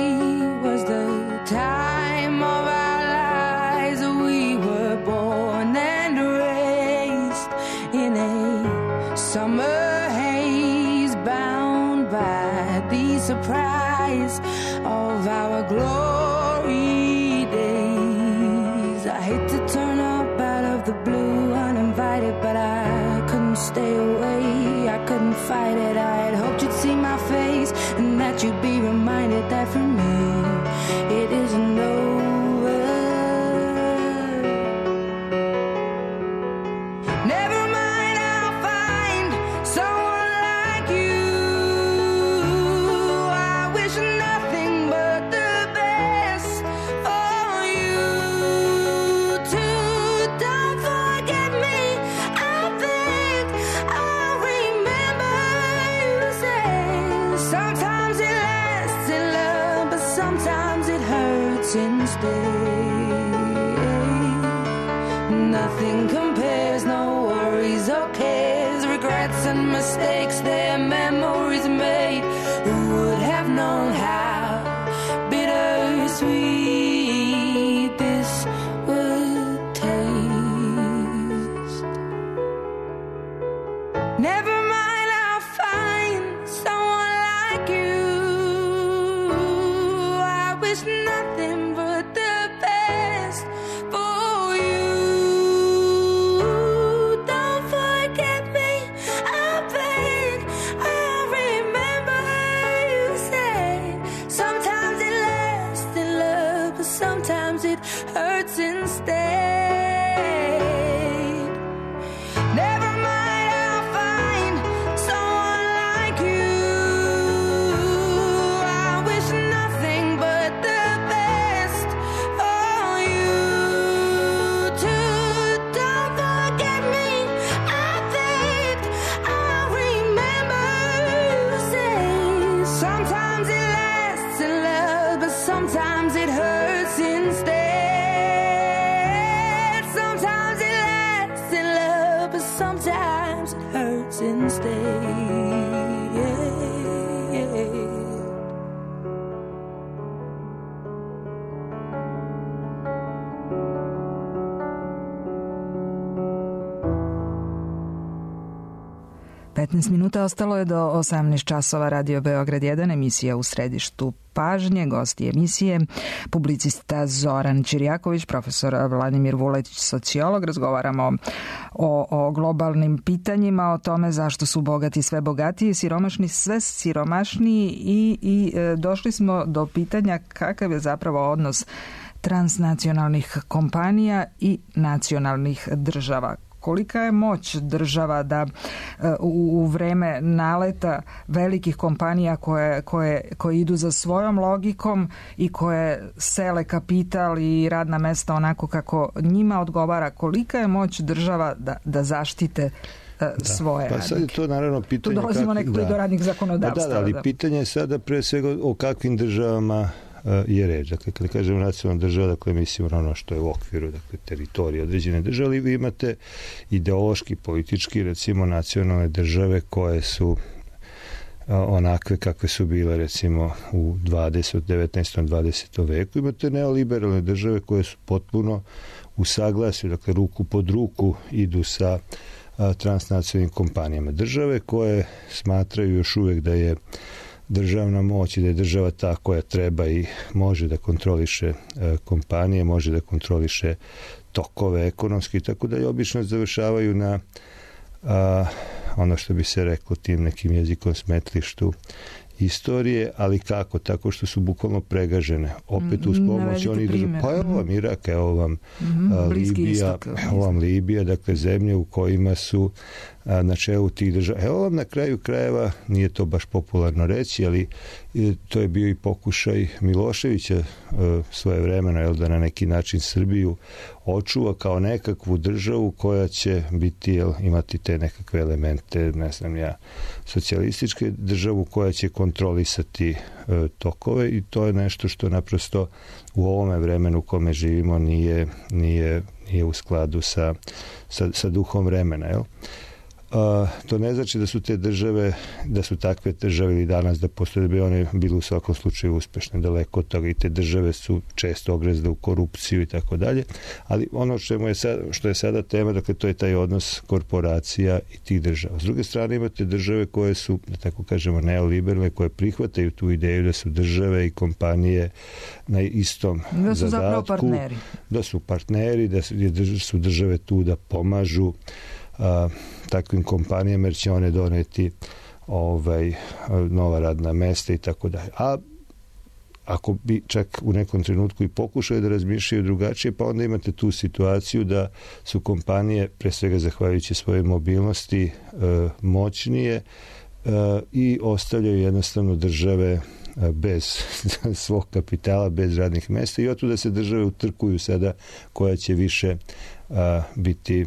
was the time of our lives. We were born and raised in a summer haze, bound by the surprise of our glory days. I hate to turn up out of the blue uninvited, but I couldn't stay away. I couldn't fight it. I had hoped you'd see my face and that you'd be reminded that for me it isn't over. Never mind, I'll find someone what mistakes their memories made. Who would have known how bittersweet this would taste? Never mind, I'll find someone like you. I wish nothing but the best for you. Don't forget me, I beg. I remember you said sometimes it lasts in love, but sometimes it hurts instead. Never mind, I'll find someone like you. I wish nothing but the best for you too. Don't forget me, I beg. I remember you say sometimes it lasts in love, but sometimes it hurts instead. Sometimes it lasts in love, but sometimes it hurts instead. 15 minuta ostalo je do 18 časova. Radio Beograd 1, emisija u središtu pažnje. Gosti emisije publicista Zoran Ćirjaković, profesor Vladimir Vuletić, sociolog. Razgovaramo o globalnim pitanjima, o tome zašto su bogati sve bogatiji, siromašni sve siromašniji i došli smo do pitanja kakav je zapravo odnos transnacionalnih kompanija i nacionalnih država. Kolika je moć država da u vreme naleta velikih kompanija koje idu za svojom logikom i koje sele kapital i radna mesta onako kako njima odgovara, kolika je moć država da zaštite svoje radnike? Pa sad je to naravno pitanje... Tu dolazimo nekako i do radnih zakonodavstva. Ali pitanje je sada pre svega o kakvim državama je reč. Dakle, kada kažemo nacionalna država, dakle, mislimo na ono što je u okviru, dakle, teritorije određene države, ali vi imate ideološki, politički, recimo, nacionalne države koje su onakve kakve su bile, recimo, u 19. 20. veku. Imate neoliberalne države koje su potpuno u saglasju, dakle, ruku pod ruku idu sa transnacionalnim kompanijama. Države koje smatraju još uvijek da je državna moć i da je država ta koja treba i može da kontroliše kompanije, može da kontroliše tokove ekonomski, tako da je obično završavaju na ono što bi se reklo tim nekim jezikom smetlištu istorije, ali kako? Tako što su bukvalno pregažene. Opet uz pomoć oni države. Pa evo vam Irak, evo vam Libija, evo vam Libija, dakle zemlje u kojima su na čelu tih država. Evo vam na kraju krajeva, nije to baš popularno reći, ali to je bio i pokušaj Miloševića svoje vremena, da na neki način Srbiju očuva kao nekakvu državu koja će biti, imati te nekakve elemente, ne znam ja, socijalističke državu koja će kontrolisati tokove i to je nešto što naprosto u ovome vremenu u kome živimo nije u skladu sa duhom vremena, jel? To ne znači da su te države, da su takve države ili danas da postoje, da bi one bile u svakom slučaju uspešne, daleko od toga i te države su često ogrezle u korupciju i tako dalje, ali ono što je sada tema, dakle to je taj odnos korporacija i tih država. S druge strane imate države koje su, da tako kažemo, neoliberalne, koje prihvataju tu ideju da su države i kompanije na istom da su zadatku, partneri. Da su partneri, da su države tu da pomažu takvim kompanijama jer će one doneti nova radna mesta i tako dalje. A ako bi čak u nekom trenutku i pokušali da razmišljaju drugačije, pa onda imate tu situaciju da su kompanije, pre svega zahvaljujući svojoj mobilnosti, moćnije i ostavljaju jednostavno države bez svog kapitala, bez radnih mesta i otuda se države utrkuju sada koja će više biti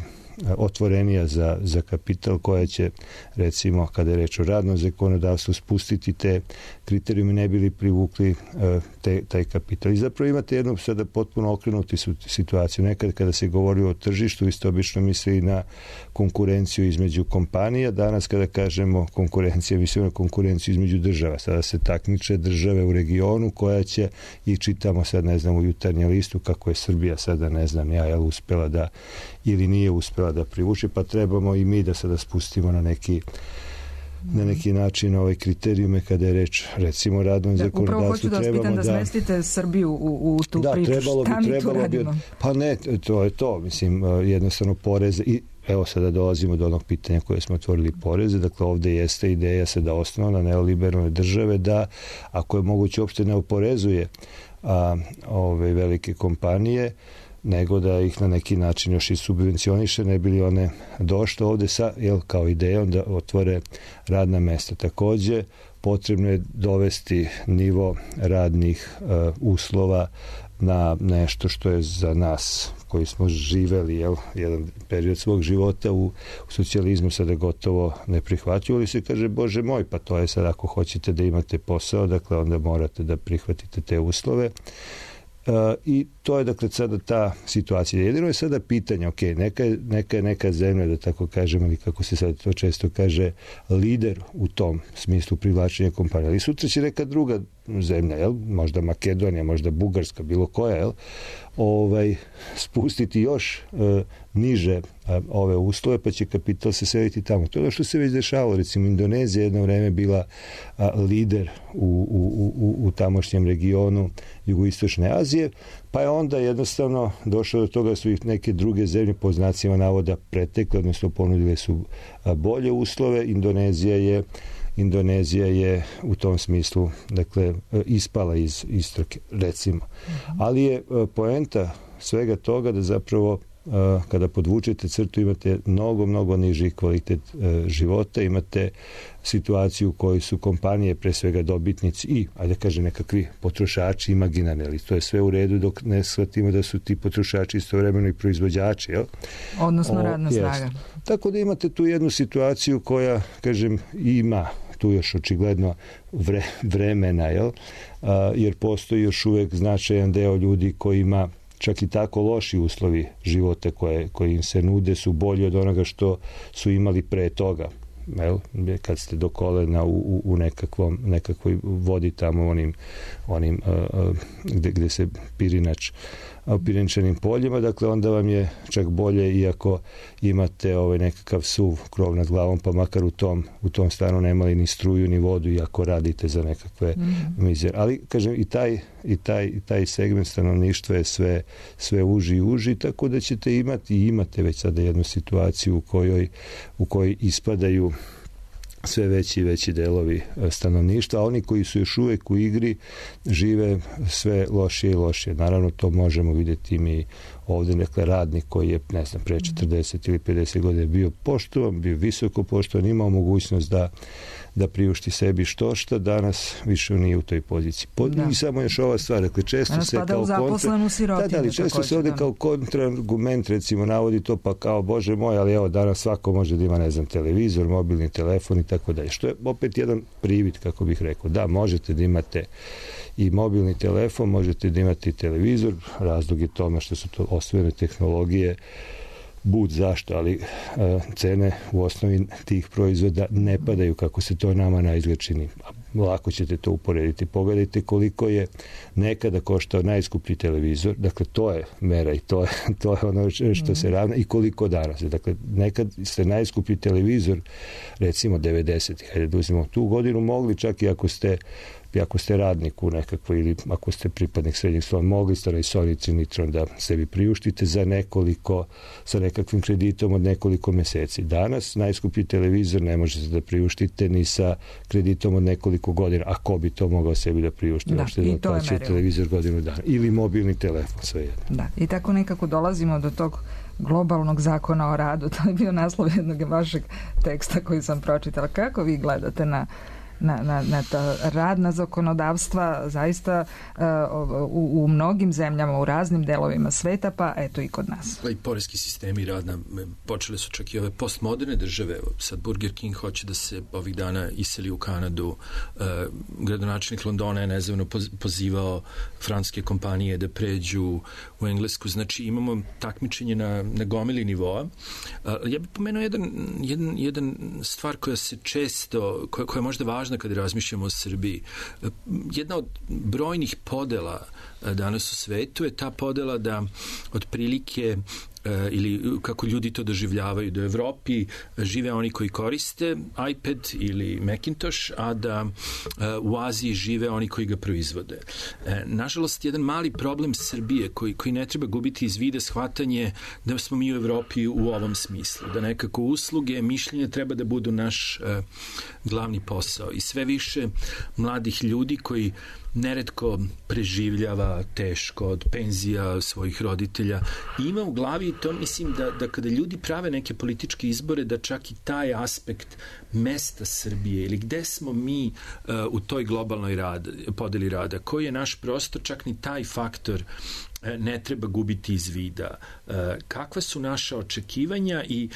otvorenija za kapital, koja će, recimo, kada je reč o radnom zakonodavstvu, spustiti te kriterijume, ne bili privukli taj kapital. I zapravo imate jednu sada potpuno okrenuti situaciju. Nekad kada se govori o tržištu, vi ste obično mislili na konkurenciju između kompanija. Danas kada kažemo konkurencija, mislimo na konkurenciju između država. Sada se takmiče države u regionu koja će, i čitamo sad, ne znam, u Jutarnjem listu kako je Srbija sada, ne znam ja, uspela da ili nije uspela da privuče, pa trebamo i mi da sada spustimo na neki način kriterijume kada je reč, recimo, radnom zakonodavstvu. Upravo hoću da vas pitam da smestite Srbiju u tu priču. Šta mi tu radimo? Pa ne, to je to. Mislim, jednostavno poreze i evo sada dolazimo do onog pitanja koje smo otvorili, poreze. Dakle, ovde jeste ideja sada osnovna neoliberalne države da, ako je moguće, uopšte ne oporezuje ove velike kompanije, nego da ih na neki način još i subvencioniše, ne bi li one došle ovde sa, kao idejom da otvore radna mesta. Takođe, potrebno je dovesti nivo radnih uslova na nešto što je za nas koji smo živeli jedan period svog života u socijalizmu sada gotovo neprihvatljivo, ali se kaže, Bože moj, pa to je sad, ako hoćete da imate posao, dakle onda morate da prihvatite te uslove. I to je, dakle, sada ta situacija. Jedino je sada pitanje, ok, neka zemlja, da tako kažem, ali kako se sad to često kaže, lider u tom smislu privlačenja kompanija. Ali sutra će neka druga zemlja, možda Makedonija, možda Bugarska, bilo koja, spustiti još niže ove uslove, pa će kapital se seliti tamo. To je ono što se već dešavalo. Recimo, Indonezija jedno vreme bila lider u tamošnjem regionu jugoistočne Azije, pa je onda jednostavno došlo do toga da su ih neke druge zemlje, po znacima navoda, pretekle, odnosno ponudile su bolje uslove. Indonezija je u tom smislu, dakle, ispala iz trke, recimo. Ali je poenta svega toga da zapravo kada podvučete crtu imate mnogo niži kvalitet života, imate situaciju u kojoj su kompanije pre svega dobitnici i, ajde kažem, nekakvi potrošači imaginarni, ali to je sve u redu dok ne shvatimo da su ti potrošači istovremeno i proizvođači. Odnosno radna snaga. Tako da imate tu jednu situaciju koja, kažem, ima tu još očigledno vremena, jer postoji još uvek značajan deo ljudi koji ima čak i tako loši uslovi života koji im se nude su bolji od onoga što su imali pre toga. Kad ste do kolena u nekakvoj vodi tamo onim gde se pirinač u pirinčanim poljima, dakle onda vam je čak bolje iako imate nekakav suv krov nad glavom, pa makar u tom stanu nemali ni struju ni vodu iako radite za nekakve mizere. Ali kažem, i taj segment stanovništva je sve uži i uži, tako da ćete imate već sada jednu situaciju u kojoj ispadaju sve veći i veći delovi stanovništva, a oni koji su još uvek u igri žive sve lošije i lošije. Naravno, to možemo vidjeti mi ovde, dakle, radnik koji je, ne znam, pre 40 ili 50 godina bio poštovan, bio visoko poštovan, imao mogućnost da priušti sebi što danas više nije u toj poziciji. I samo još ova stvar, dakle, često se kao često se ovde kao kontraargument, recimo, navodi to, pa kao, Bože moj, ali evo, danas svako može da ima, ne znam, televizor, mobilni telefon i tako dalje. Što je opet jedan privid, kako bih rekao. Da, možete da imate i mobilni telefon, možete da imate i televizor, razlog je tome što su to osvojene tehnologije, bud zašto, ali cene u osnovi tih proizvoda ne padaju kako se to nama naizgled čini. Lako ćete to uporediti. Pogledajte koliko je nekada koštao najskuplji televizor, dakle to je mera i to je ono što se ravna, i koliko danas. Dakle, nekad ste najskuplji televizor, recimo 90-ih, hajde da uzmemo tu godinu, mogli čak i ako ste radnik u nekakvoj ili ako ste pripadnik srednjeg sloja, mogli ste i Sony Nitron da sebi priuštite sa nekakvim kreditom od nekoliko meseci. Danas najskuplji televizor ne možete da priuštite ni sa kreditom od nekoliko godina. A ko bi to mogao sebi da priušti? I to je merilo. Televizor godinu dana. Ili mobilni telefon, svejedno. Da, i tako nekako dolazimo do tog globalnog zakona o radu. To je bio naslov jednog vašeg teksta koji sam pročitala. Kako vi gledate na radna zakonodavstva zaista u mnogim zemljama, u raznim delovima sveta, pa eto i kod nas. I poreski sistemi radna, počele su čak i ove postmoderne države. Sad Burger King hoće da se ovih dana iseli u Kanadu. Gradonačelnik Londona je nezavno pozivao francuske kompanije da pređu u Englesku. Znači imamo takmičenje na gomili nivoa. Ja bih pomenuo jedan stvar koja se često, koja je možda važna kada razmišljamo o Srbiji. Jedna od brojnih podela danas u svetu je ta podela da otprilike ili kako ljudi to doživljavaju, da u Evropi žive oni koji koriste iPad ili Macintosh, a da u Aziji žive oni koji ga proizvode. Nažalost, jedan mali problem Srbije koji ne treba gubiti iz vida shvatanje da smo mi u Evropi u ovom smislu, da nekako usluge, mišljenja treba da budu naš glavni posao i sve više mladih ljudi koji neretko preživljava teško od penzija svojih roditelja i ima u glavi i to mislim da kada ljudi prave neke političke izbore da čak i taj aspekt mesta Srbije ili gde smo mi u toj globalnoj podeli rada, koji je naš prostor, čak ni taj faktor ne treba gubiti iz vida. Kakva su naša očekivanja i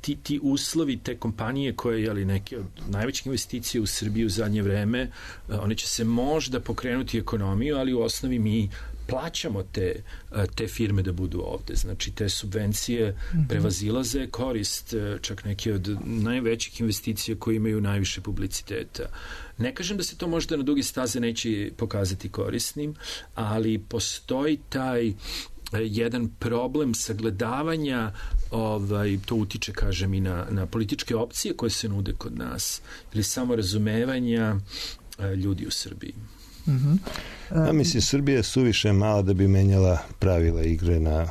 ti uslovi, te kompanije koje neke od najvećih investicija u Srbiji u zadnje vreme, one će se možda pokrenuti ekonomiju, ali u osnovi mi plaćamo te firme da budu ovde. Znači, te subvencije prevazilaze korist, čak neke od najvećih investicija koje imaju najviše publiciteta. Ne kažem da se to možda na duge staze neće pokazati korisnim, ali postoji taj jedan problem sagledavanja, to utiče, kažem, i na političke opcije koje se nude kod nas, ili samo razumevanja ljudi u Srbiji. Ja mislim, Srbija je suviše mala da bi menjala pravila igre na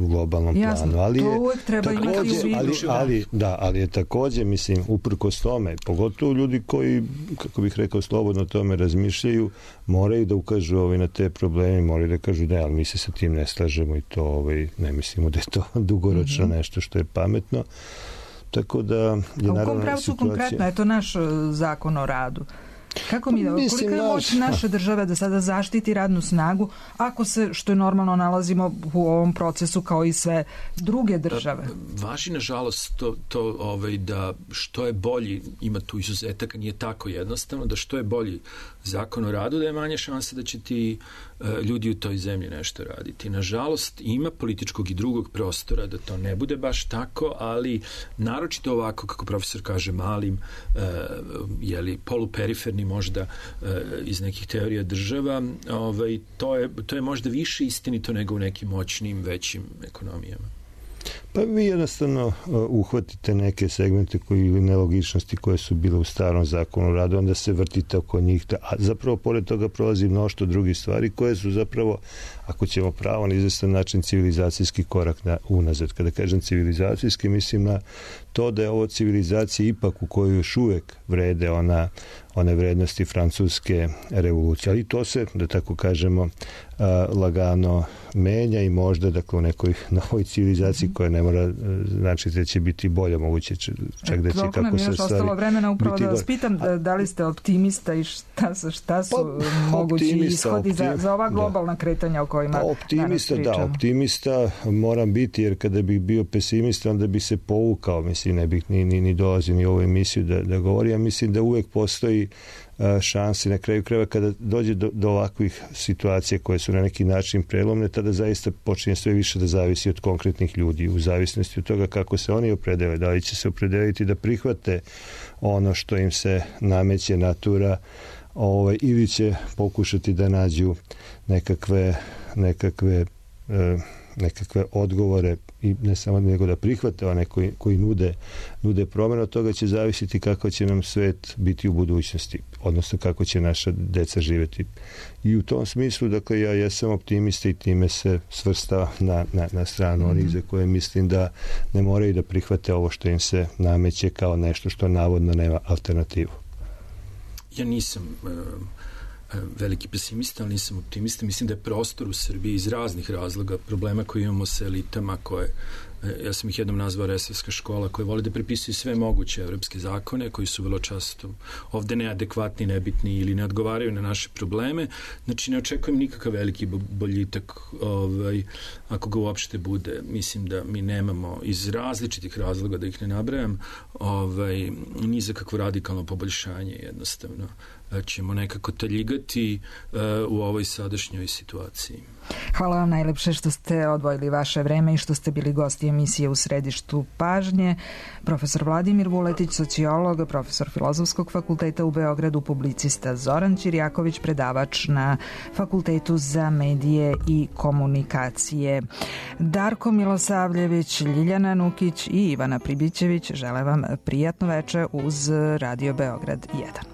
globalnom planu. Ali to uvek treba imati u vidu. Ali je takođe, mislim, uprkos tome, pogotovo ljudi koji, kako bih rekao, slobodno o tome razmišljaju, moraju da ukažu na te probleme, moraju da kažu da, ali mi se sa tim ne slažemo i to ne mislimo da je to dugoročno nešto što je pametno. Tako da je naravno u kom pravcu konkretno je to naš zakon o radu? Kako koliko je moć naše države da sada zaštiti radnu snagu ako se, što je normalno, nalazimo u ovom procesu kao i sve druge države? Važi, nažalost, to da što je bolji, ima tu izuzetaka, nije tako jednostavno, da što je bolji zakon o radu, da je manje šanse da će ti ljudi u toj zemlji nešto raditi. Nažalost, ima političkog i drugog prostora da to ne bude baš tako, ali naročito ovako, kako profesor kaže, malim, poluperiferni možda iz nekih teorija država, to je možda više istinito nego u nekim moćnim, većim ekonomijama. Pa vi jednostavno uhvatite neke segmente ili nelogičnosti koje su bile u starom zakonu o radu, onda se vrtite oko njih, a zapravo pored toga prolazi mnoštvo drugih stvari koje su zapravo, ako ćemo pravo na izvestan način, civilizacijski korak unazad. Kada kažem civilizacijski, mislim na to da je ovo civilizacija ipak u kojoj još uvek vrede one vrednosti francuske revolucije. Ali to se, da tako kažemo, lagano menja i možda, dakle, u nekoj novoj civilizaciji koja ne mora znači da će biti bolje, moguće čak da će kako se stvari... Nam je još ostalo vremena upravo da vas pitam da li ste optimista i šta su mogući ishodi za ova globalna kretanja o kojima danas pričamo. Optimista moram biti, jer kada bih bio pesimista, onda bih se povukao, mislim, ne bih ni dolazio ni u ovu emisiju da govori. Ja mislim da uvek postoji šanse na kraju krajeva kada dođe do ovakvih situacija koje su na neki način prelomne, tada zaista počinje sve više da zavisi od konkretnih ljudi, u zavisnosti od toga kako se oni opredele, da li će se opredeliti da prihvate ono što im se nameće natura, ili će pokušati da nađu nekakve odgovore i ne samo nego da prihvate one koji nude promjenu. Od toga će zavisiti kako će nam svet biti u budućnosti, odnosno kako će naša deca živjeti. I u tom smislu, dakle, ja jesam optimista i time se svrsta na stranu onih za koje mislim da ne moraju da prihvate ovo što im se nameće kao nešto što navodno nema alternativu. Ja nisam veliki pesimista, ali nisam optimista. Mislim da je prostor u Srbiji iz raznih razloga, problema koje imamo sa elitama koje Ja sam ih jednom nazvao resavska škola, koja voli da prepisuju sve moguće evropske zakone, koji su vrlo često ovde neadekvatni, nebitni ili ne odgovaraju na naše probleme. Znači, ne očekujem nikakav veliki boljitak, ako ga uopšte bude. Mislim da mi nemamo iz različitih razloga, da ih ne nabrajam, ni za kakvo radikalno poboljšanje, jednostavno ćemo nekako taljigati u ovoj sadašnjoj situaciji. Hvala vam najlepše što ste odvojili vaše vreme i što ste bili gosti emisije U središtu pažnje. Profesor Vladimir Vuletić, sociolog, profesor Filozofskog fakulteta u Beogradu, publicista Zoran Ćirjaković, predavač na Fakultetu za medije i komunikacije. Darko Milosavljević, Ljiljana Nukić i Ivana Pribićević žele vam prijatno veče uz Radio Beograd 1.